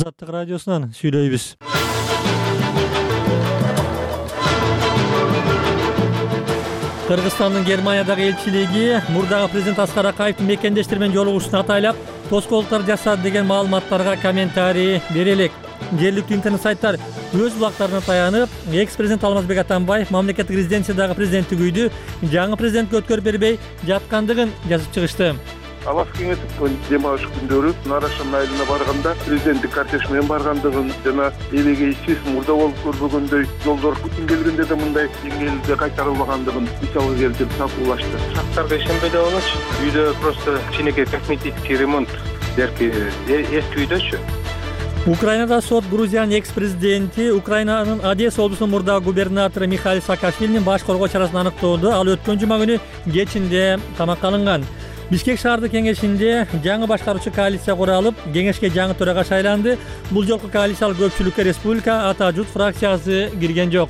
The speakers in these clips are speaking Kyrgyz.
Азаттык радиосунан сүйлөйбүз. Кыргызстандын Германиядагы элчилиги мурдагы президент Аскар Акаевдин мекендештер менен жолугушууну атайлап тоскоолдуктар жасады деген маалыматтарга комментарий бере элек. Жергиликтүү интернет сайттар өз булактарына таянып, экс-президент Алмазбек Атамбаев мамлекеттик резиденциядагы президенттик үйдү жаңы президентке өткөрүп бербей жаткандыгын жазып чыгышты. Алас кеңесип дем алыш күндөрү Нарашан айылына барганда президенттик кортеж менен баргандыгын жана эбегейсиз мурда болуп көрбөгөндөй жолдор Путин келгенде да мындай деңгээлде кайтарылбагандыгын мисалга келтирип талкуулашты. Шарттарга ишенбей болчу. Үйдө просто кичинекей косметический ремонт дерки эски үйдөчү. Украинада сот Грузиянын экс-президенти Украинанын Одесса облусунун мурдагы губернатору Михаил Саакашвилинин баш коргоо чарасын аныктоодо ал өткөн жума күнү кечинде камакка алынган. Бишкек шаардык кеңешинде жаңы башкаруучу коалиция куралып, кеңешке жаңы төрага шайланды. Бул жолку коалициялык көпчүлүккө Республика Ата Жут фракциясы кирген жок.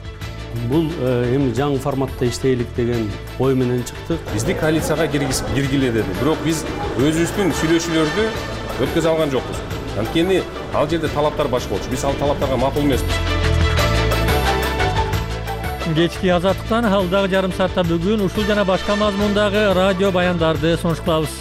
Бул эми жаңы форматта иштейлик деген ой менен чыктык. Бизди коалицияга киргиле деди. Бирок биз өзүбүздүн сүйлөшүүлөрдү өткөзө алган жокпуз. Анткени ал жерде талаптар башка болчу. Биз ал талаптарга макул эмеспиз. Кечки Азаттыктан алдагы жарым саатта бүгүн ушул жана башка мазмундагы радио баяндарды сунуш кылабыз.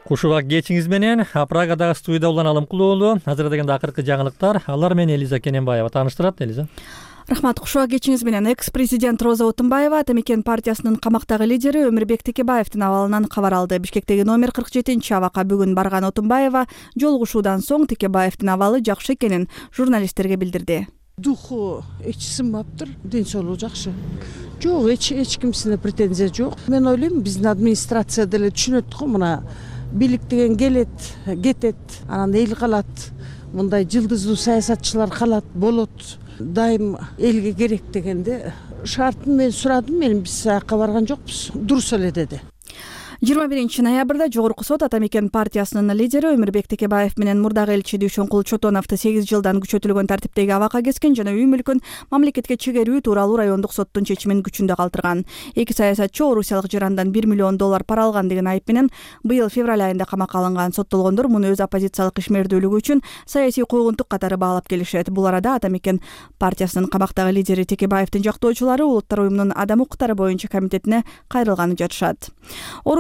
Куш убак кечиңиз менен Прагадагы студияда Улан Алымкулуулу азыр дегенде акыркы жаңылыктар. Алар менен Элиза Кененбаева тааныштырат. Элиза. Рахмат. Куш убак кечиңиз менен экс-президент Роза Отунбаева Атамекен партиясынын камактагы лидери Өмүрбек Текебаевдин абалынан кабар алды. Бишкектеги номер 47 абакка бүгүн барган Отунбаева жолугушуудан соң Текебаевдин абалы жакшы экенин журналисттерге билдирди. Духу эч сынбаптыр, ден соолугу жакшы. Жок, эч кимсине претензия жок. Мен ойлойм, биздин администрация деле түшүнөт го, мына бийлик деген келет, кетет, анан эл калат. Мындай жылдыздуу саясатчылар калат, болот. Дайым элге керек дегенде шартын мен сурадым, мен биз аяққа барган жокпуз. Дурус эле деди. 21 ноябрда Жогорку сот Атамекен партиясынын лидери Өмүрбек Текебаев менен мурдагы элчи Дүйшөнкул Чотоновду 8 жылдан күчөтүлгөн тартиптеги абакка кескен жана үй мүлкүн мамлекетке чегерүү тууралуу райондук соттун чечимин күчүндө калтырган. Эки саясатчы орусиялык жарандан $1 миллион пара алган деген айып менен быйыл февраль айында камакка алынган. Соттолгондор муну өз оппозициялык ишмердүүлүгү үчүн саясий койгунтук катары баалап келишет. Бул арада Атамекен партиясынын камактагы лидери Текебаевдин жактоочулары Улуттар уюмунун адам укуктары боюнча комитетине кайрылганын жатышат.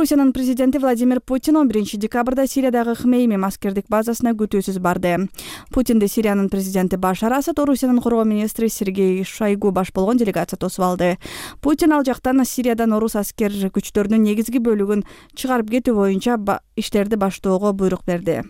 Орусиянын президенти Владимир Путин 11 декабрда Сириядагы Хмеймим аскердик базасына күтүүсүз барды. Путинди Сириянын президенти Башар Асад, Орусиянын коргоо министри Сергей Шойгу баш болгон делегация тосуп алды. Путин ал жактан Сириядан орус аскер күчтөрүнүн негизги бөлүгүн чыгарып кетүү боюнча иштерди баштоого буйрук берди.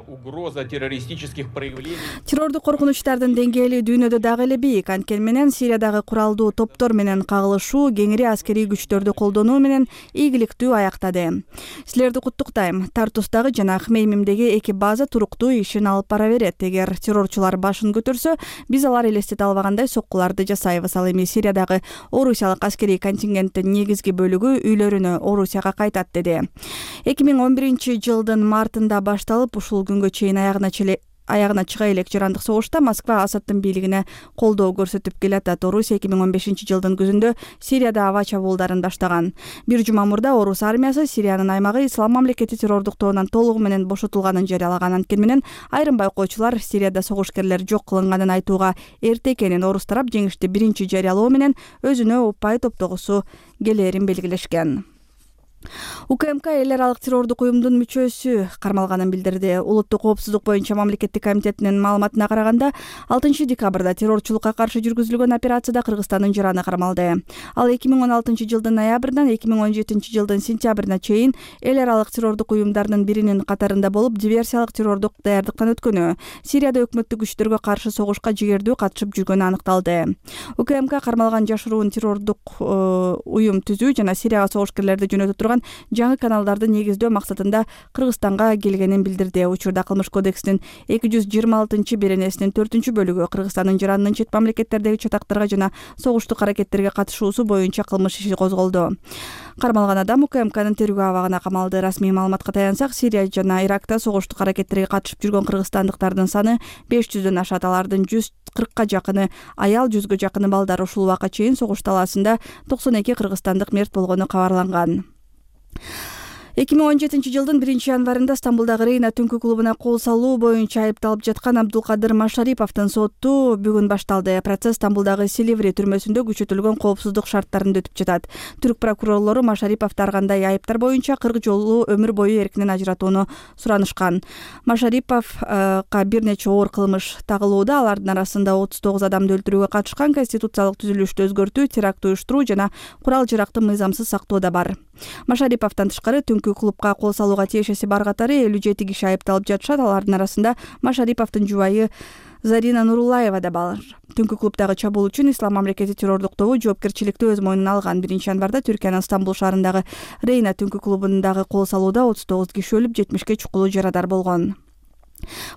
Угроза террористических проявлений. Террордук коркунучтардын деңгээли дүйнөдө дагы эле бийик. Анткени менен Сириядагы куралдуу топтор менен кагылышуу кеңири аскерий күчтөрдү колдонуу менен ийгиликтүү аяктады. Силерди куттуктайм. Тартустагы жана Хмеймимдеги эки база туруктуу ишин алып бара берет. Эгер террорчулар башын көтөрсө, биз алар элестете албагандай соккуларды жасайбыз. Ал эми Сириядагы орусиялык аскерий контингенттин негизги бөлүгү үйлөрүнө Орусияга кайтат деди. 2011 жылдын мартында башталып ушул күнгө чейин аягына чыга элек жарандык согушта Москва Асаддын бийлигине колдоо көрсөтүп келатат. Орусия 2015 жылдын күзүндө Сирияда аба чабуулдарын баштаган. Бир жума мурда орус армиясы Сириянын аймагы Ислам мамлекети террордук тобунан толугу менен бошотулганын жарыялаган. Анткени менен айрым байкоочулар Сирияда согушкерлер жок кылынганын айтууга эрте экенин, орус тарап жеңишти биринчи жарыялоо менен өзүнө упай топтогусу келээрин белгилешкен. УКМК эл аралык террордук уюмдун мүчөсү кармалганын билдирди. Улуттук коопсуздук боюнча мамлекеттик комитетинин маалыматына караганда 6 декабрда террорчулукка каршы жүргүзүлгөн операцияда Кыргызстандын жараны кармалды. Ал 2016 жылдын ноябрынан 2017 жылдын сентябрына чейин эл аралык террордук уюмдардын биринин катарында болуп, диверсиялык террордук даярдыктан өткөнү, Сирияда өкмөттүк күчтөргө каршы согушка жигердүү катышып жүргөнү аныкталды. УКМК кармалган жашыруун террордук уюм түзүү жана Сирияга согушкерлерди жөнөтө турган жаңы каналдарды негиздөө максатында Кыргызстанга келгенин билдирди. Учурда Кылмыш кодексинин 226 беренесинин 4 бөлүгү Кыргызстандын жаранынын чет мамлекеттердеги чатактарга жана согуштук аракеттерге катышуусу боюнча кылмыш иши козголду. Кармалган адам УКМКнын тергөө абагына камалды. Расмий маалыматка таянсак, Сирия жана Иракта согуштук аракеттерге катышып жүргөн кыргызстандыктардын саны 500дөн ашат. Алардын 140 жакыны аял, 100гө жакыны балдар. Ушул убакка чейин согуш талаасында 92 кыргызстандык мерт болгону кабарланган. 2017 жылдын 1-январында Стамбулдагы Рейна түнкү клубуна кол салуу боюнча айыпталып жаткан Абдулкадыр Машариповдун соту бүгүн башталды. Процесс Стамбулдагы Силиври түрмөсүндө күчөтүлгөн коопсуздук шарттарында өтүп жатат. Түрк прокурорлору Машариповду ар кандай айыптар боюнча 40 жолу өмүр бою эркинен ажыратууну суранышкан. Машариповго бир нече оор кылмыш тагылууда. Алардын арасында 39 адамды өлтүрүүгө катышкан, конституциялык түзүлүштү өзгөртүү, теракт уюштуруу жана курал жаракты мыйзамсыз сактоо да бар. Машариповдон тышкары түнкү клубга кол салууга тиешеси бар катары 57 киши айыпталып жатышат. Алардын арасында Машариповдун жубайы Зарина Нуруллаева да бар. Түнкү клубдагы чабуул үчүн Ислам мамлекети террордук тобу жоопкерчиликти өз мойнуна алган. 1-январда Түркиянын Стамбул шаарындагы Рейна түнкү клубундагы кол салууда 39 киши өлүп, 70ке чукулуу жарадар болгон.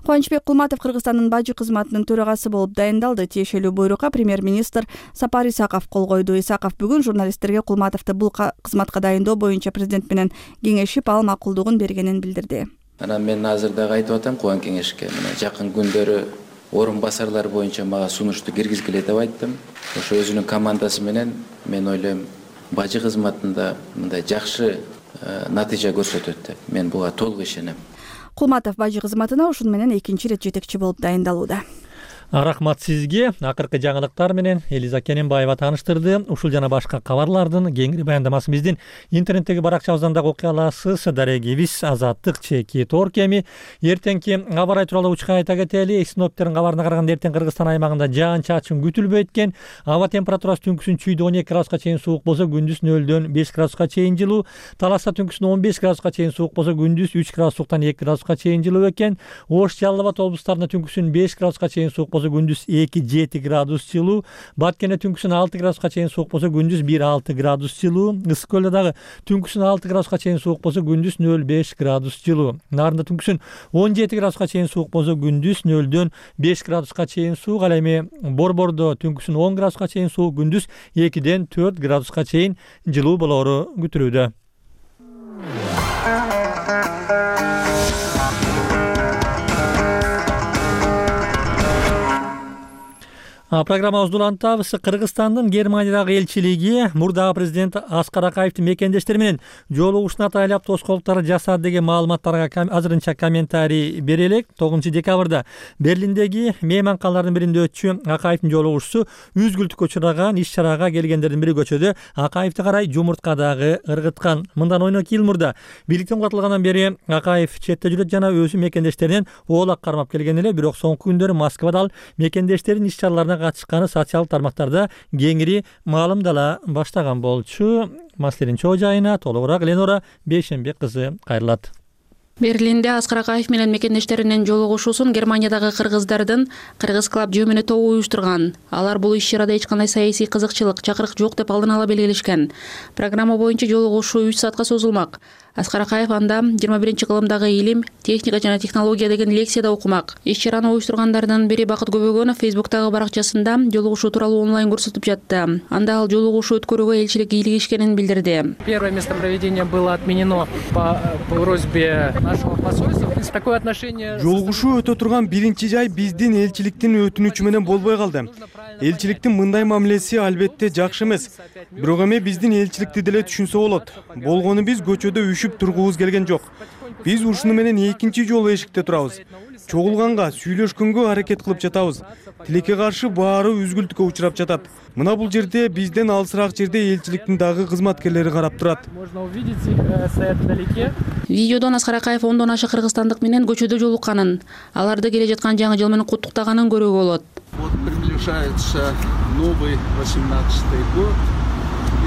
Кубанычбек Кулматов Кыргызстандын бажы кызматынын төрагасы болуп дайындалды. Тиешелүү буйрукка премьер-министр Сапар Исаков кол койду. Исаков бүгүн журналисттерге Кулматовду бул кызматка дайындоо боюнча президент менен кеңешип, ал макулдугун бергенин билдирди. Анан мен азыр дагы айтып атам Кубан кеңешке. Мына жакын күндөрү орун басарлар боюнча мага сунушту киргизгиле деп айттым. Ошо өзүнүн командасы менен мен ойлойм бажы кызматында мындай жакшы натыйжа көрсөтөт деп. Мен буга толук ишенем. Кулматов бажы кызматына ушун менен экинчи ирет жетекчи болуп дайындалууда. Рахмат сизге. Акыркы жаңылыктар менен Элиза Кененбаева тааныштырды. Ушул жана башка кабарлардын кеңири баяндамасын биздин интернеттеги баракчабыздан да окуй аласыз. Дарегибиз Азаттык чеки Торкеми. Эртеңки аба ырайы тууралуу учка айта кетели. Синоптиктердин кабарына караганда эртең Кыргызстан аймагында жаан-чачын күтүлбөйт экен. Аба температурасы түнкүсүн чүйдө 12 градуска чейин суук болсо, күндүз 0-дөн 5 градуска чейин жылуу. Таласта түнкүсүн 15 градуска чейин суук болсо, күндүз 3 градустан 2 градуска чейин жылуу экен. Ош, Жалал Абад облустарында түнкүсүн 5 градуска чейин суук болсо, күндүз 2-7 градус жылуу. Баткенде түнкүсүн 6 градуска чейин суук болсо, күндүз 1-6 градус жылуу. Ысык көлдө дагы түнкүсүн 6 градуска чейин суук болсо, күндүз 0-5 градус жылуу. Нарында түнкүсүн 17 градуска чейин суук болсо, күндүз 0-дөн 5 градуска чейин суук. Ал эми Борбордо түнкүсүн 10 градуска чейин суук, күндүз 2-ден 4 градуска чейин жылуу болоору күтүлүүдө. Программабызды улантабыз. Кыргызстандын Германиядагы элчилиги мурдагы президент Аскар Акаевдин мекендештери менен жолугушууну атайлап тоскоолдуктар жасады деген маалыматтарга азырынча комментарий бере элек. 9-декабрда Берлиндеги мейманканалардын биринде өтчү Акаевдин жолугушуусу үзгүлтүккө учураган. Иш-чарага келгендердин бири көчөдө Акаевди карай жумуртка дагы ыргыткан. Мындан 12 жыл мурда бийликтен курулгандан бери Акаев четте жүрөт жана өзү мекендештеринен оолак кармап келген эле. Бирок соңку күндөрү Москвада ал мекендештеринин иш-чараларына катышканы социалдык тармактарда кеңири маалымдала баштаган болчу. Маселенин чоо жайына толугураак Ленора Бейшенбек кызы кайрылат. Берлинде Аскар Акаев менен мекендештеринин жолугушуусун Германиядагы кыргыздардын Кыргыз клуб жөмөнө тобу уюштурган. Алар бул иш-чарада эч кандай саясий кызыкчылык, чакырык жок деп алдын ала белгилешкен. Программа боюнча жолугушуу 3 саатка созулмак. Аскар Акаев анда 21-кылымдагы илим, техника жана технология деген лекцияда окумак. Иш-чараны уюштургандардын бири Бакыт Көбөгөнов Фейсбуктагы баракчасында жолугушуу тууралуу онлайн көрсөтүп жатты. Анда ал жолугушуу өткөрүүгө элчилик кийлигишкенин билдирди. Первое место проведения было отменено по просьбе нашего посольства. Такое отношение. Жолугушуу өтө турган биринчи жай биздин элчиликтин өтүнүчү менен болбой калды. Элчиликтин мындай мамилеси албетте жакшы эмес. Бирок эми биздин элчиликти деле түшүнсө болот. Болгону биз көчөдө үшүп тургубуз келген жок. Биз ушуну менен экинчи жолу эшикте турабыз. Чогулганга, сүйлөшкөнгө аракет кылып жатабыз. Тилекке каршы баары үзгүлтүккө учурап жатат. Мына бул жерде бизден алысыраак жерде элчиликтин дагы кызматкерлери карап турат. Можно увидеть их стоят вдалеке. Видеодон Аскар Акаев 10дон аша кыргызстандык менен көчөдө жолукканын, аларды келе жаткан жаңы жыл менен куттуктаганын көрүүгө болот. Вот приближается новый 18-й год.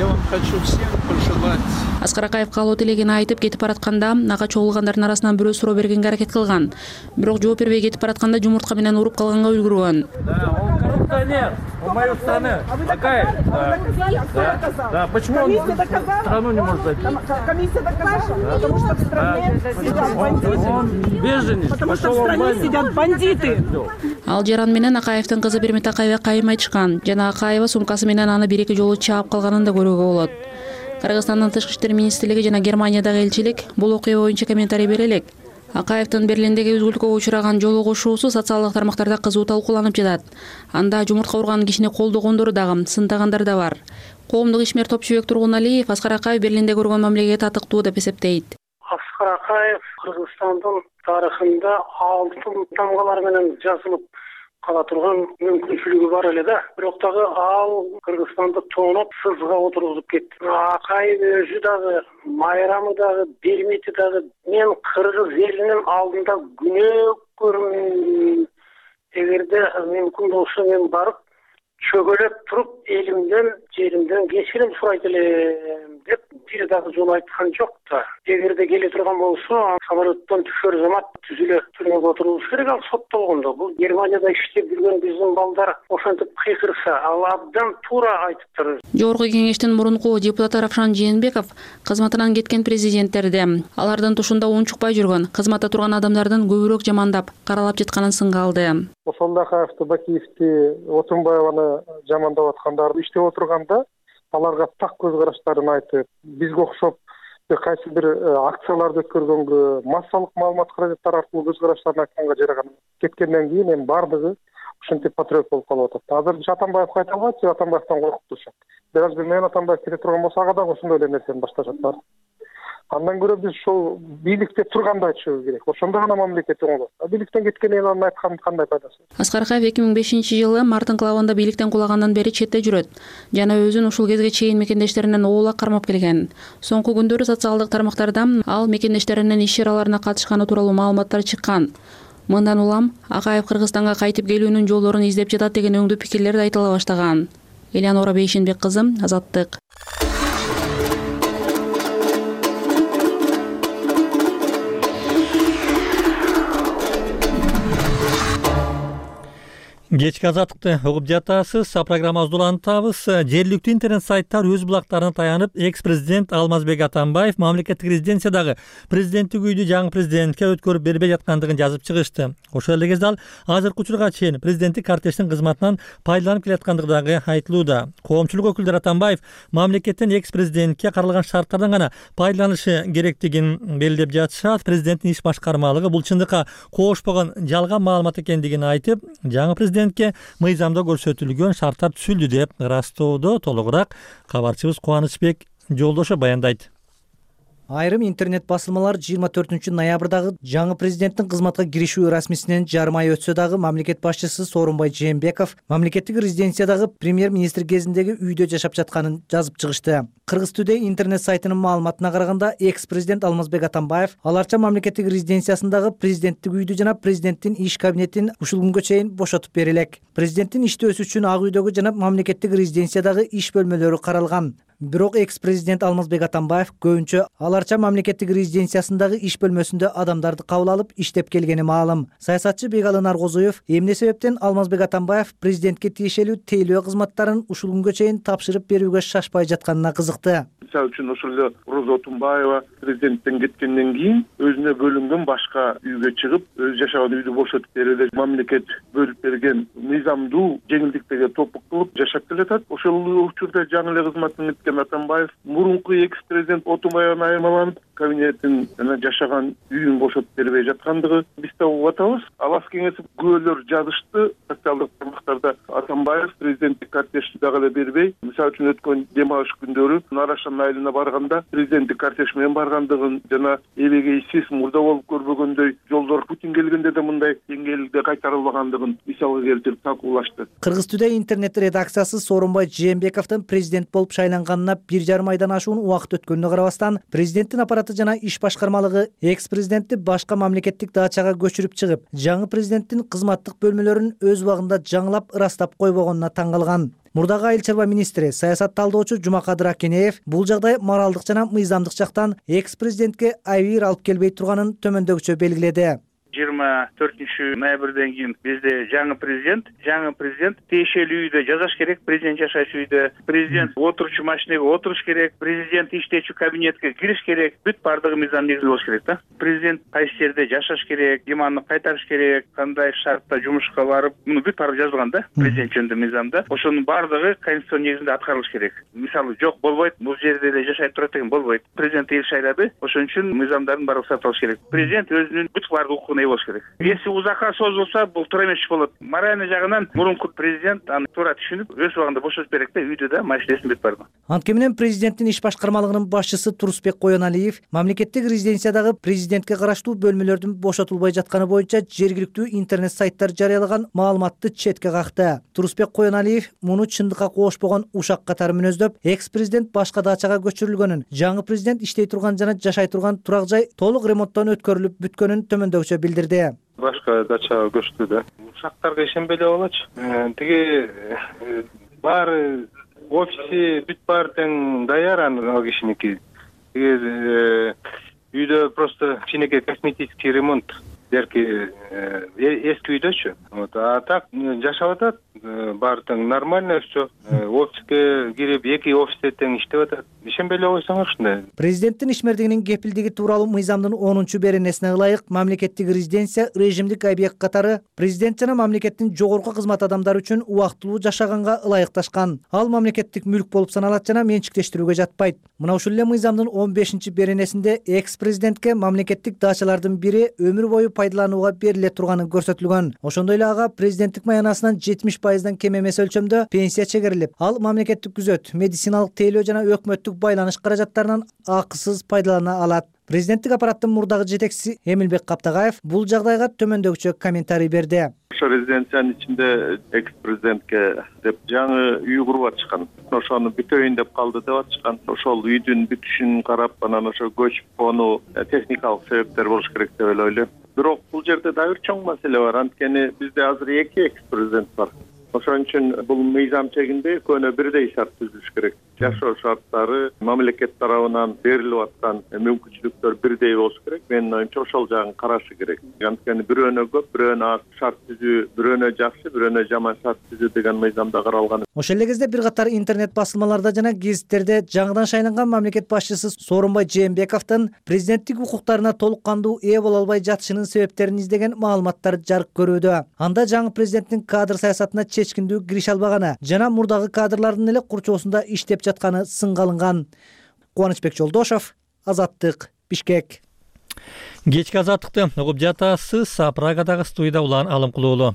Я вам хочу всем пожелать. Аскар Акаев каалоо тилегин айтып кетип баратканда ага чогулгандардын арасынан бирөө суроо бергенге аракет кылган. Бирок жооп бербей кетип баратканда жумуртка менен уруп калганга үлгүргөн. Да, он коррупционер. У моей страны. Акаев. Да, почему он страну не может зайти? Комиссия доказала, потому что в стране сидят бандиты. Он беженец. Потому что в стране сидят бандиты. Ал жаран менен Акаевдин кызы Бермет Акаева кайым айтышкан. Жана Акаева сумкасы менен аны бир-эки жолу чаап калганын да көрүүгө болот. Кыргызстандын Тышкы иштер министрлиги жана Германиядагы элчилик бул окуя боюнча комментарий бере элек. Акаевдин Берлиндеги үзгүлтүккө учураган жолугушуусу социалдык тармактарда кызуу талкууланып жатат. Анда жумуртка урган кишини колдогондор дагы, сынтагандар да бар. Коомдук ишмер Топчубек Тургуналиев Аскар Акаев Берлинде көргөн мамилеге татыктуу деп эсептейт. Аскар Акаев Кыргызстандын тарыхында алтын тамгалар менен жазылып кала турган мүмкүнчүлүгү бар эле да. Бирок дагы ал Кыргызстанды тооноп сызга отургузуп кетти. Акаев өзү дагы, майрамы дагы, бермити дагы мен кыргыз элинин алдында күнөө көрмөйм. Эгерде мүмкүн болсо мен барып чөгөлөп туруп элимден, жеримден кечирим сурайт элем деп бир дагы жолу айткан жок да. Эгерде келе турган болсо, самолеттон түшөр замат түзүлө түрмөгө отурулуш керек, ал соттолгондо. Бул Германияда иштеп жүргөн биздин балдар ошентип кыйкырса, ал абдан туура айтыптыр. Жогорку кеңештин мурунку депутаты Равшан Жээнбеков кызматынан кеткен президенттерди, алардын тушунда унчукпай жүргөн, кызматта турган адамдардын көбүрөөк жамандап, каралап жатканын сынга алды. Ошондо Акаевди, Бакиевди, Отунбаеваны жамандап аткандар иштеп отурганда аларга так көз караштарын айтып, бизге окшоп кайсы бир акцияларды өткөргөнгө, массалык маалымат каражаттары аркылуу көз караштарын айтканга жараган. Кеткенден кийин эми бардыгы ушинтип патриот болуп калып атат. Азыр Атамбаев кайта албайт, Атамбаевтан коркуп турушат. Бираз бир менен Атамбаев кете турган болсо, ага дагы ошондой эле нерсени башташат. Андан көрө биз ошол бийликте турганды айтышыбыз керек. Ошондо гана мамлекет оңолот. Бийликтен кеткенден анын айткандын кандай пайдасы? Аскар Акаев 2005-жылы март инкылабында бийликтен кулагандан бери четте жүрөт жана өзүн ушул кезге чейин мекендештеринен оола кармап келген. Соңку күндөрү социалдык тармактарда ал мекендештеринин иш чараларына катышканы тууралуу маалыматтар чыккан. Мындан улам Акаев Кыргызстанга кайтып келүүнүн жолдорун издеп жатат деген өңдүү пикирлер да айтыла баштаган. Элеонора Бейшенбек кызы, Азаттык. Кечки Азаттыкты угуп жатасыз. Программабызды улантабыз. Жергиликтүү интернет сайттар өз булактарына таянып, экс-президент Алмазбек Атамбаев мамлекеттик резиденциядагы президенттик үйдү жаңы президентке өткөрүп бербей жаткандыгын жазып чыгышты. Ошол эле кезде ал азыркы учурга чейин президенттик кортеждин кызматынан пайдаланып келаткандыгы дагы айтылууда. Коомчулук өкүлдөрү Атамбаев мамлекеттин экс-президентке каралган шарттардан гана пайдаланышы керектигин белгилеп жатышат. Президенттин иш башкармалыгы бул чындыкка коошпогон жалган маалымат экендигин айтып, жаңы президент мыйзамда көрсөтүлгөн шарттар түзүлдү деп ырастоодо. Толугураак кабарчыбыз Кубанычбек Жолдошов баяндайт. Айрым интернет басылмалар 24-ноябрдагы жаңы президенттин кызматка киришүү расмисинен жарым ай өтсө дагы мамлекет башчысы Сооронбай Жээнбеков мамлекеттик резиденциядагы премьер-министр кезиндеги үйдө жашап жатканын жазып чыгышты. Кыргыз Today интернет сайтынын маалыматына караганда, экс-президент Алмазбек Атамбаев аларча мамлекеттик резиденциясындагы президенттик үйдү жана президенттин иш кабинетин ушул күнгө чейин бошотуп бере элек. Президенттин иштөөсү үчүн ак үйдөгү жана мамлекеттик резиденциядагы иш бөлмөлөрү каралган. Бирок экс-президент Алмазбек Атамбаев көбүнчө аларча мамлекеттик резиденциясындагы иш бөлмөсүндө адамдарды кабыл алып иштеп келгени маалым. Саясатчы Бегалый Наргозуев эмне себептен Алмазбек Атамбаев президентке тиешелүү тейлөө кызматтарын ушул күнгө чейин тапшырып берүүгө шашпай жатканына кызыкты. Мисалы үчүн ошол эле Роза Отунбаева президенттен кеткенден кийин өзүнө бөлүнгөн башка үйгө чыгып, өз жашаган үйдү бошотуп берди. Мамлекет бөлүп берген мыйзамдуу жеңилдиктерге топук кылып жашап келатат. Ошол учурда жаңы эле кызматтан Атамбаев мурунку экс-президент Отунбаевдан айырмаланып, кабинетин жана жашаган үйүн бошотуп бербей жаткандыгы бизде угуп атабыз. Алас кеңесип күбөлөр жазышты социалдык тармактарда. Атамбаев президенттик кортежди дагы эле бербей, мисалы үчүн өткөн дем алыш күндөрү Нарашан айылына барганда президенттик кортеж менен баргандыгын жана эбегейсиз мурда болуп көрбөгөндөй жолдор Путин келгенде да мындай деңгээлде кайтарылбагандыгын мисалга келтирип талкуулашты. Кыргыз Today интернет редакциясы Сооронбай Жээнбековдун президент болуп шайланганына 1,5 айдан ашуун убакыт өткөнүнө карабастан, президенттин аппараты жана иш башкармалыгы экс-президентти башка мамлекеттик дачага көчүрүп чыгып, жаңы президенттин кызматтык бөлмөлөрүн өз убагында жаңылап ырастап койбогонуна таң калган. Мурдагы айыл чарба министри, саясат талдоочу Жумакадыр Акенеев бул жагдай моралдык жана мыйзамдык жактан экс-президентке айбир алып келбей турганын төмөндөгүчө белгиледи. 24 ноябрден кийин бизде жаңы президент тиешелүү үйдө жашаш керек, президент жашачу үйдө, президент отурчу машинеге отуруш керек, президент иштечү кабинетке кириш керек, бүт бардыгы мыйзам негизинде болуш керек да. Президент кайсы жерде жашаш керек, иманды кайтарыш керек, кандай шартта жумушка барып, муну бүт баары жазылган да, президент жөнүндө мыйзамда. Ошонун бардыгы конституцион негизинде аткарылыш керек. Мисалы, жок болбойт, бул жерде эле жашай турат деген болбойт. Президент эл шайлады, ошон үчүн мыйзамдардын баары сакталыш керек. Президент өзүнүн бүт баардык укугуна болуш керек. керек. Если узакка созулса, бул туура эмес иш болот. Моральный жагынан мурунку президент аны туура түшүнүп, өз убагында бошотуп берет да, үйдө да маселесин бүтүп барды. Анткени менен президенттин иш башкармалыгынын башчысы Турусбек Коеналиев мамлекеттик резиденциядагы президентке караштуу бөлмөлөрдүн бошотулбай жатканы боюнча жергиликтүү интернет сайттар жарыялаган маалыматты четке какты. Турусбек Коеналиев муну чындыкка кошпогон ушак катары мүнөздөп, экс-президент башка дачага көчүрүлгөнүн, жаңы президент иштей турган жана жашай турган турак жай толук ремонттон өткөрүлүп бүткөнүн төмөндөгүчө билдирди. Башка дачага көчтү да. Ушактарга ишенбей эле болочу. Тиги баары офиси бүт баары тең даяр ал кишиники. Тиги үйдө просто кичинекей косметический ремонт. Эски үйдөчү. А так жашап атат, баары тең нормально все. Офиске кирип, эки офисте тең иштеп атат. Ишенбей эле койсоңор ушундай. Президенттин ишмердигинин кепилдиги тууралуу мыйзамдын 10-чу беренесине ылайык мамлекеттик резиденция режимдик объект катары президент жана мамлекеттин жогорку кызмат адамдары үчүн убактылуу жашаганга ылайыкташкан. Ал мамлекеттик мүлк болуп саналат жана менчиктештирүүгө жатпайт. Мына ушул эле мыйзамдын 15-чи беренесинде экс-президентке мамлекеттик дачалардын бири өмүр бою пайдаланууга бериле турганы көрсөтүлгөн. Ошондой эле ага президенттик маянасынан 70% кем эмес өлчөмдө пенсия чегерилип, ал мамлекеттик күзөт, медициналык тейлөө жана өкмөттүк байланыш каражаттарынан акысыз пайдалана алат. Президенттик аппараттын мурдагы жетекчиси Эмилбек Каптагаев бул жагдайга төмөндөгүчө комментарий берди. Ошо резиденциянын ичинде экс-президентке деп жаңы үй куруп атышкан. Ошону бүтөйүн деп калды деп атышкан. Ошол үйдүн бүтүшүн карап, анан ошо көчүп конуу техникалык себептер болуш керек деп эле ойлойм. Бирок бул жерде дагы бир чоң маселе бар. Анткени бизде азыр эки экс-президент бар. Ошон үчүн бул мыйзам чегинде экөөнө бирдей шарт түзүлүш керек. Жашоо шарттары мамлекет тарабынан берилип аткан мүмкүнчүлүктөр бирдей болуш керек. Менин оюмча ошол жагын карашы керек. Анткени бирөөнө көп, бирөөнө аз шарт түзүү, бирөөнө жакшы, бирөөнө жаман шарт түзүү деген мыйзамда каралган. Ошол эле кезде бир катар интернет басылмаларда жана гезиттерде жаңыдан шайланган мамлекет башчысы Сооронбай Жээнбековдун президенттик укуктарына толук кандуу ээ боло албай жатышынын себептерин издеген маалыматтар жарык көрүүдө. Анда жаңы президенттин кадр саясатына чечкиндүү киреше албаганы жана мурдагы кадрлардын эле курчоосунда иштеп жатканы сынга алынган. Кубанычбек Жолдошов, Азаттык, Бишкек. Кечки азаттыкты угуп жатасыз. Прагадагы студияда Улан Алымкулуулу.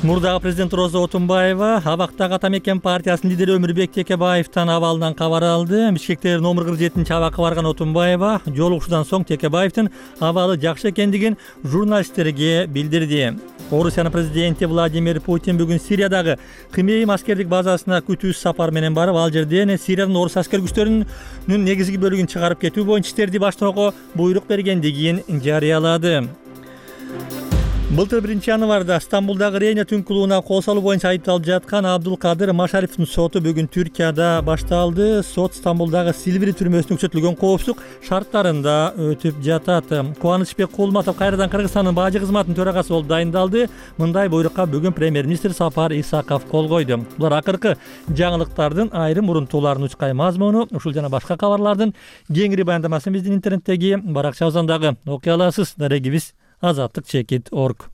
Мурдагы президент Роза Отунбаева абактагы Ата Мекен партиясынын лидери Өмүрбек Текебаевдин абалынан кабар алды. Бишкекте номер 47 абакка барган Отунбаева жолугушуудан соң Текебаевдин абалы жакшы экендигин журналисттерге билдирди. Орусиянын президенти Владимир Путин бүгүн Сириядагы Кымейм аскердик базасына күтүүсүз сапар менен барып, ал жерден Сириянын орус аскер күчтөрүнүн негизги бөлүгүн чыгарып кетүү боюнча иштерди баштоого буйрук бергендигин жарыялады. Былтыр 1-январда Стамбулдагы Рейна түн клубуна кол салуу боюнча айыпталып жаткан Абдулкадыр Машариповдун соту бүгүн Түркияда башталды. Сот Стамбулдагы Силвери түрмөсүнө көрсөтүлгөн коопсуздук шарттарында өтүп жатат. Кубанычбек Кулматов кайрадан Кыргызстандын бажы кызматынын төрагасы болуп дайындалды. Мындай буйрукка бүгүн премьер-министр Сапар Исаков кол койду. Булар акыркы жаңылыктардын айрым урунтууларын учкай мазмуну, ушул жана башка кабарлардын кеңири баяндамасын биздин интернеттеги баракчабыздан дагы окуй аласыз. Дарегибиз azatlık.org.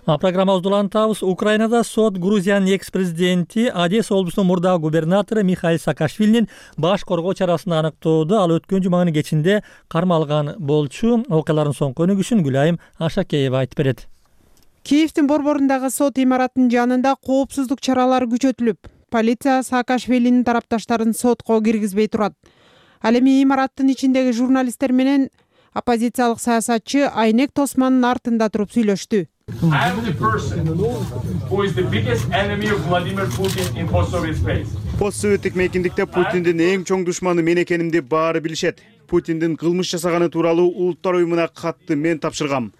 Программабызды улантабыз. Украинада сот Грузиянын экс-президенти Одесса облусунун мурдагы губернатору Михаил Саакашвилинин баш коргоо чарасын аныктоодо ал өткөн жуманын кечинде кармалган болчу. Окуялардын соңку өнүгүшүн Гүлайым Ашакеева айтып берет. Киевдин борборундагы сот имаратынын жанында коопсуздук чаралары күчөтүлүп, полиция Саакашвилинин тарапташтарын сотко киргизбей турат. Ал эми имараттын ичиндеги журналисттер менен оппозициялык саясатчы Айнек Тосмандын артында туруп сүйлөштү. Постсоветтик мейкиндикте Путиндин эң чоң душманы мен экенимди баары билишет. Путиндин кылмыш жасаганы тууралуу Улуттар уюмуна катты мен тапшыргам.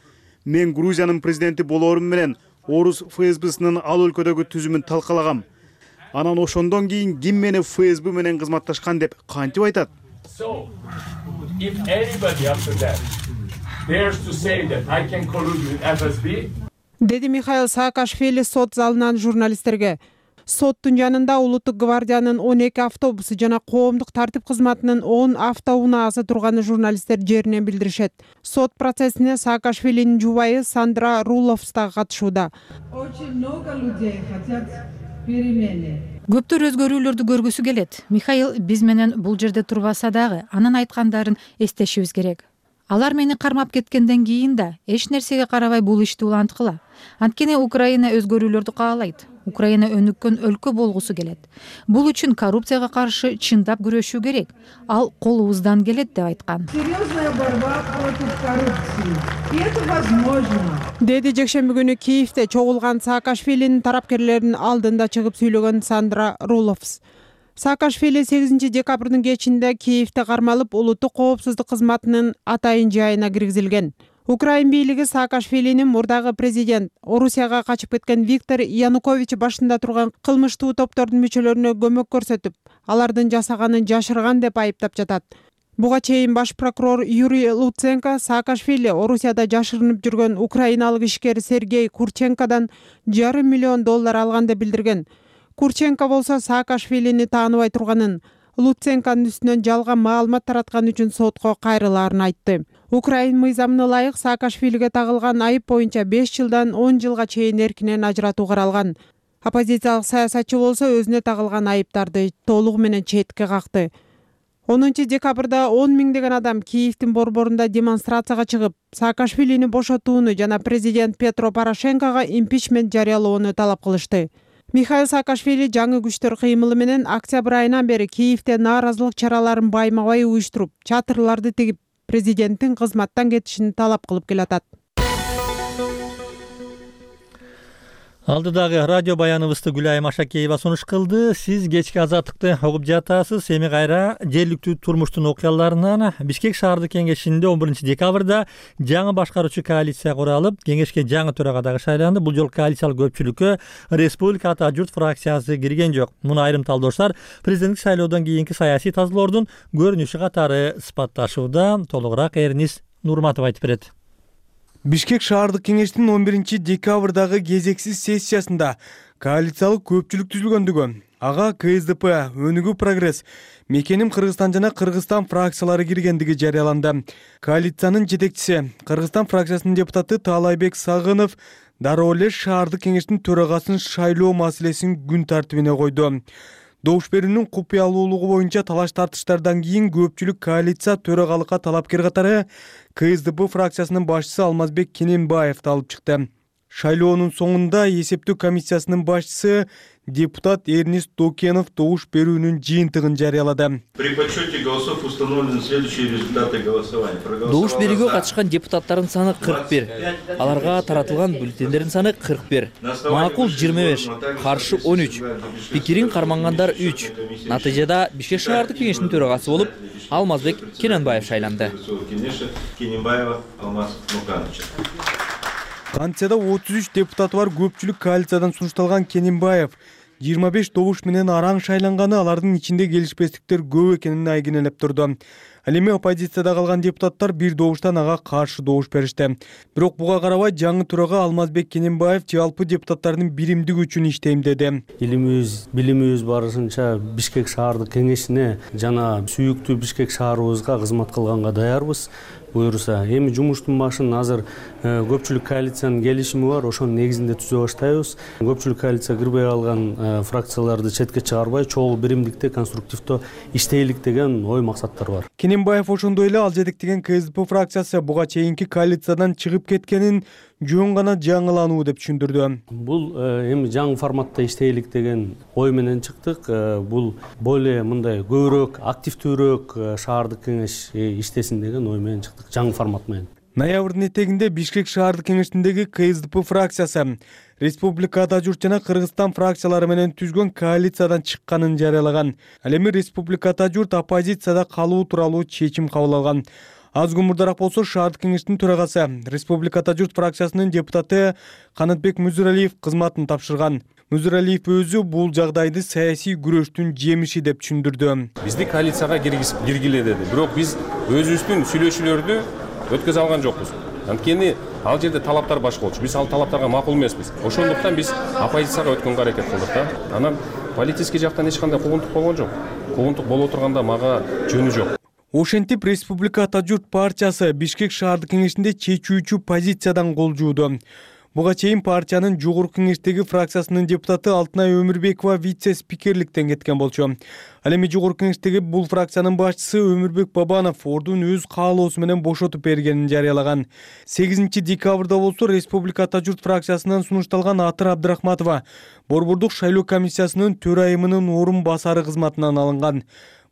Мен Грузиянын президенти болоорум менен орус ФСБсынын ал өлкөдөгү түзүмүн талкалагам. Анан ошондон кийин ким мени ФСБ менен кызматташкан деп кантип айтат? So, if anybody after that dares to say that I can collude with FSB, деди Михаил Саакашвили сот залынан журналисттерге. Соттун жанында Улуттук гвардиянын 12 автобусу жана коомдук тартип кызматынын 10 автоунаасы турганы журналисттер жеринен билдиришет. Сот процессине Саакашвилинин жубайы Сандра Руловс да катышууда. Көптөр өзгөрүүлөрдү көргүсү келет. Михаил биз менен бул жерде турбаса дагы анын айткандарын эстешибиз керек. Алар мени кармап кеткенден кийин да эч нерсеге карабай бул ишти уланткыла. Анткени Украина өзгөрүүлөрдү каалайт. Украина өнүккөн өлкө болгусу келет. Бул үчүн коррупцияга каршы чындап күрөшүү керек. Ал колубуздан келет деп айткан. Серьезная борьба против коррупции. И это возможно. Деди жекшемби күнү Киевде чогулган Саакашвилинин тарапкерлеринин алдында чыгып сүйлөгөн Сандра Руловс. Саакашвили 8 декабрдын кечинде Киевде кармалып, улуттук коопсуздук кызматынын атайын жайына киргизилген. Украин бийлиги Саакашвилинин мурдагы президент, Орусияга качып кеткен Виктор Янукович башында турган кылмыштуу топтордун мүчөлөрүнө көмөк көрсөтүп, алардын жасаганын жашырган деп айыптап жатат. Буга чейин баш прокурор Юрий Луценко Саакашвили Орусияда жашырынып жүргөн украиналык ишкер Сергей Курченкодан $500 миллион алган деп билдирген. Курченко болсо Саакашвилини тааныбай турганын, Луценконун үстүнөн жалган маалымат тараткан үчүн сотко кайрылаарын айтты. Украин мыйзамына ылайык Саакашвилиге тагылган айып боюнча 5 жылдан 10 жылга чейин эркинен ажыратуу каралган. Оппозициялык саясатчы болсо өзүнө тагылган айыптарды толугу менен четке какты. 10 декабрда 10 миңдеген адам Киевдин борборунда демонстрацияга чыгып, Саакашвилини бошотууну жана президент Петро Порошенкого импичмент жарыялоону талап кылышты. Михаил Саакашвили жаңы күчтөр кыймылы менен октябрь айынан бери Киевде нааразылык чараларын байма-бай уюштуруп, чатырларды тигип, президенттин кызматтан кетишин талап кылып келатат. Алдыдагы радио баяныбызды Гүлайым Ашакеева сунуш кылды. Сиз кечки азаттыкты угуп жатасыз. Эми кайра жергиликтүү турмуштун окуяларынан Бишкек шаардык кеңешинде 11 декабрда жаңы башкаруучу коалиция куралып, кеңешке жаңы төрага дагы шайланды. Бул жолу коалициялык көпчүлүккө Республика Ата журт фракциясы кирген жок. Муну айрым талдоочулар президенттик шайлоодон кийинки саясий тазалоордун көрүнүшү катары ысбатташууда. Толугураак Эрнис Нурматов айтып берет. Бишкек шаардык кеңештин 11 декабрдагы кезексиз сессиясында коалициялык көпчүлүк түзүлгөндүгү, ага КСДП, Өнүгүү Прогресс, Мекеним Кыргызстан жана Кыргызстан фракциялары киргендиги жарыяланды. Коалициянын жетекчиси, Кыргызстан фракциясынын депутаты Таалайбек Сагынов дароо эле шаардык кеңештин төрагасын шайлоо маселесин күн тартибине койду. Добуш берүүнүн купуялуулугу боюнча талаш тартыштардан кийин көпчүлүк коалиция төрагалыкка талапкер катары КСДП фракциясынын башчысы Алмазбек Кененбаевди алып чыкты. Шайлоонун соңунда эсептөө комиссиясынын башчысы депутат Эрнис Докенов добуш берүүнүн жыйынтыгын жарыялады. При подсчете голосов установлены следующие результаты голосования. Добуш берүүгө катышкан депутаттардын саны 41, аларга таратылган бюллетендердин саны 41, макул 25, каршы 13, пикирин кармангандар 3. Натыйжада Бишкек шаардык кеңештин төрагасы болуп Алмазбек Кененбаев шайланды. Кантияда 33 депутаты бар көпчүлүк коалициядан сунушталган Кененбаев 25 добуш менен араң шайланганы, алардын ичинде келишпестиктер көп экенин айгинелеп турду. Ал эми оппозицияда калган депутаттар бир добуштан ага каршы добуш беришти. Бирок буга карабай жаңы төрага Алмазбек Кененбаев жалпы депутаттардын биримдиги үчүн иштейм деди. Илимибиз, билимибиз барысынча Бишкек шаардык кеңешине жана сүйүктүү Бишкек шаарыбызга кызмат кылганга даярбыз. Буюрса, эми жумуштун башын азыр көпчүлүк коалициянын келишими бар, ошонун негизинде түзө баштайбыз. Көпчүлүк коалиция кирбей калган фракцияларды четке чыгарбай, чогуу биримдикте, конструктивдүү иштейлик деген ой максаттар бар. Кененбаев ошондой эле ал жетектеген КСДП фракциясы буга чейинки коалициядан чыгып кеткенин жөн гана жаңылануу деп түшүндүрдү. Бул эми жаңы форматта иштейлик деген ой менен чыктык. Бул более мындай көбүрөөк, активдүүрөөк шаардык кеңеш иштесин деген ой менен чыктык, жаңы формат менен. Ноябрдын этегинде Бишкек шаардык кеңештиндеги КСДП фракциясы Республика Ата журт жана Кыргызстан фракциялары менен түзгөн коалициядан чыкканын жарыялаган. Ал эми Республика Ата журт оппозицияда калуу тууралуу чечим кабыл алган. Аз күн мурдараак болсо шаардык кеңештин төрагасы Республика Ата журт фракциясынын депутаты Канатбек Мүзүралиев кызматын тапшырган. Мүзүралиев өзү бул жагдайды саясий күрөштүн жемиши деп түшүндүрдү. Бизди коалицияга киргиле деди. Бирок биз өзүбүздүн сүйлөшүүлөрдү өткөзө алган жокпуз. Анткени ал жерде талаптар башка болчу. Биз ал талаптарга макул эмеспиз. Ошондуктан биз оппозицияга өткөнгө аракет кылдык да. Анан политический жактан эч кандай куугунтук болгон жок. Куугунтук боло турганда мага жөнү жок. Ошентип Республика Ата журт партиясы Бишкек шаардык кеңешинде чечүүчү позициядан кол жууду. Буга чейин партиянын жогорку кеңештеги фракциясынын депутаты Алтынай Өмүрбекова вице-спикерликтен кеткен болчу. Ал эми жогорку кеңештеги бул фракциянын башчысы Өмүрбек Бабанов ордун өз каалоосу менен бошотуп бергенин жарыялаган. 8 декабрда болсо Республика Ата журт фракциясынан сунушталган Атыр Абдрахматова Борбордук шайлоо комиссиясынын төрайымынын орун басары кызматынан алынган.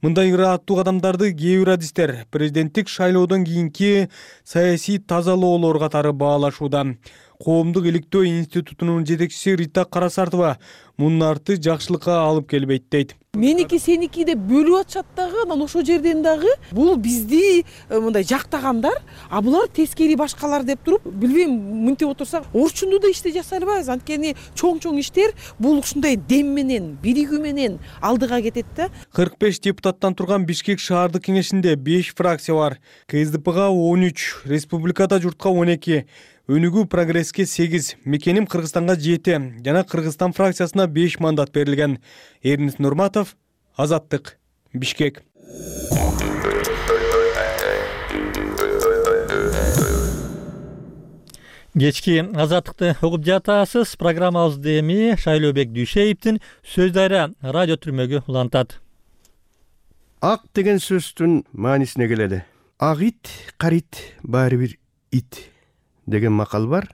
Мындай ырааттуу кадамдарды кээ бир адистер президенттик шайлоодон кийинки саясий тазалоолор катары баалашууда. Коомдук иликтөө институтунун жетекчиси Рита Карасартова мунун арты жакшылыкка алып келбейт дейт. Меники сеники деп бөлүп атышат дагы, анан ошол жерден дагы бул бизди мындай жактагандар, а булар тескери башкалар деп туруп, билбейм, мынтип отурсак, орчунду да иште жасай албайбыз. Анткени чоң иштер бул ушундай дем менен, биригүү менен алдыга кетет да. 45 депутаттан турган Бишкек шаардык кеңешинде 5 фракция бар. КСДПга 13, Республикада журтка 12, Өнүгүү прогресске 8, Мекеним Кыргызстанга 7 жана Кыргызстан фракциясына 5 мандат берилген. Эрнис Нурматов, Азаттык, Бишкек. Кечки Азаттыкты угуп жатасыз. Программабызды эми Шайлообек Дүйшеевдин Сөз Дайра радио түрмөгү улантат. Ак деген сөздүн маанисине келели. Ак ит, карит, баары бир ит деген макал бар.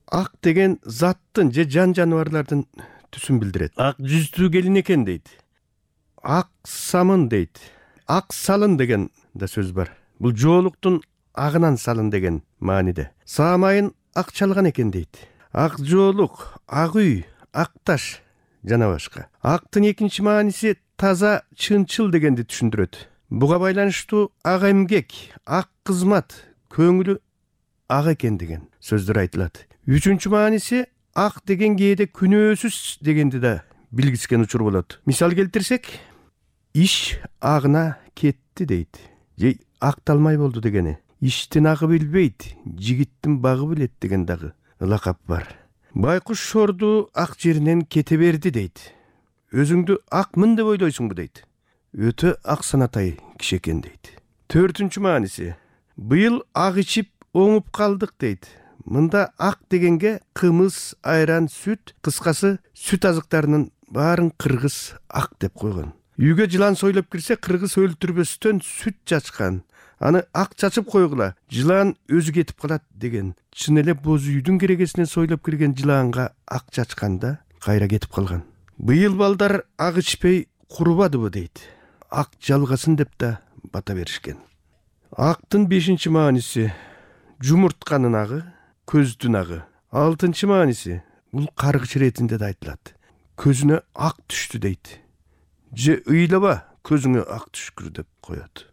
Ак деген заттын же жан жаныбарлардын түсүн билдирет. Ак жүздүү келин экен дейт. Ак самын дейт. Ак салын деген да сөз бар. Бул жоолуктун агынан салын деген мааниде. Саамайын ак чалган экен дейт. Ак жоолук, ак үй, ак таш жана башка. Актын экинчи мааниси таза, чынчыл дегенди түшүндүрөт. Буга байланыштуу ак эмгек, ак кызмат, көңүлү ак экен деген сөздөр айтылат. Үчүнчү мааниси ак деген кээде күнөөсүз дегенди да билгискен учур болот. Мисал келтирсек, иш агына кетти дейт. Же акталмай болду дегени. Иштин агы билбейт, жигиттин багы билет деген дагы ылакап бар. Байкуш шорду ак жеринен кете берди дейт. Өзүңдү акмын деп ойлойсуңбу дейт. Өтө ак санатай киши экен дейт. Төртүнчү мааниси, быйыл ак ичип оңуп калдык дейт. Мында ак дегенге кымыз, айран, сүт, кыскасы сүт азыктарынын баарын кыргыз ак деп койгон. Үйгө жылан сойлоп кирсе, кыргыз өлтүрбөстөн сүт чачкан. Аны ак чачып койгула, жылан өзү кетип калат деген. Чын эле боз үйдүн керегесинен сойлоп кирген жыланга ак чачканда кайра кетип калган. Быйыл балдар ак ичпей курубадыбы дейт. Ак жалгасын деп да бата беришкен. Актын 5-чи мааниси жумуртканын агы, көздүн агы. 6-чы мааниси бул каргыч иретинде да айтылат. Көзүнө ак түштү дейт. Же ыйлаба, көзүңө ак түшкүр деп коет.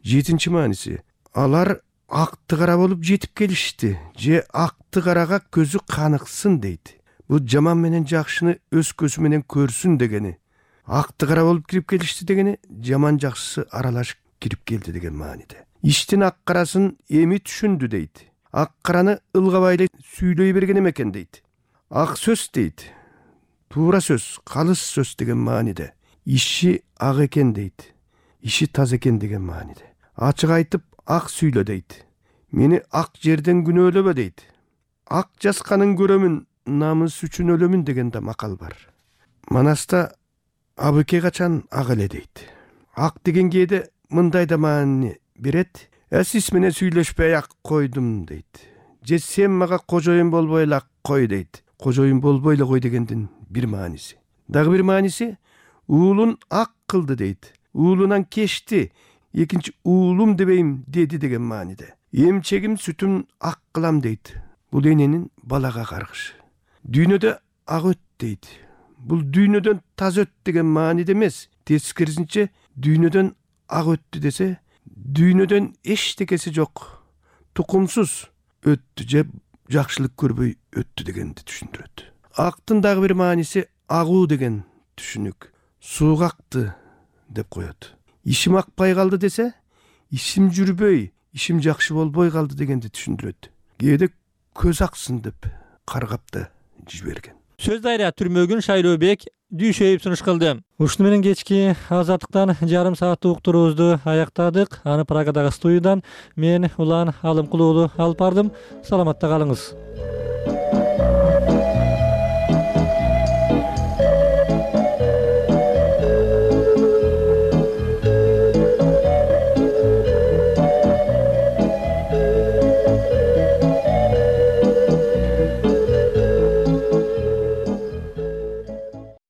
7-чи мааниси алар акты кара болуп жетип келишти. Же акты карага көзү каныксын дейт. Бул жаман менен жакшыны өз көзү менен көрсүн дегени. Акты кара болуп кирип келишти дегени, жаман жакшысы аралашып кирип келди деген мааниде. Иштин ак карасын эми түшүндү дейт. Ак караны ылгабай эле сүйлөй берген экен дейт. Ак сөз дейт. Туура сөз, калыс сөз деген мааниде. Иши ак экен дейт. Иши таза экен деген мааниде. Ачык айтып ак сүйлө дейт. Мени ак жерден күнөөлөбө дейт. Ак жасканын көрөмүн, намыс үчүн өлөмүн деген да макал бар. Манаста абыке качан ак эле дейт. Ак деген кээде мындай да маани берет. Сиз менен сүйлөшпөй ак койдум дейт. Же сен мага кожоюн болбой эле кой дейт. Кожоюн болбой эле кой дегендин бир мааниси. Дагы бир мааниси уулун ак кылды дейт. Уулунан кечти, экинчи уулум дебейм деди деген мааниде. Эмчегим сүтүм ак кылам дейт. Бул эненин балага каргышы. Дүйнөдө ак өт дейт. Бул дүйнөдөн таза өт деген мааниде эмес. Тескерисинче дүйнөдөн ак өттү десе, дүйнөдөн эчтекеси жок, тукумсуз өттү же жакшылык көрбөй өттү дегенди түшүндүрөт. Актын дагы бир мааниси агуу деген түшүнүк. Сууга акты деп коет. Ишим акпай калды десе, ишим жүрбөй, ишим жакшы болбой калды дегенди түшүндүрөт. Кээде көз аксын деп каргап да жиберген. Сөз Дайра түрмөгүн Шайлообек Дүйшеев сунуш кылды. Ушуну менен кечки Азаттыктан жарым сааттык уктуруубузду аяктадык. Аны Прагадагы студиядан мен Улан Алымкулуу алып бардым. Саламатта калыңыз.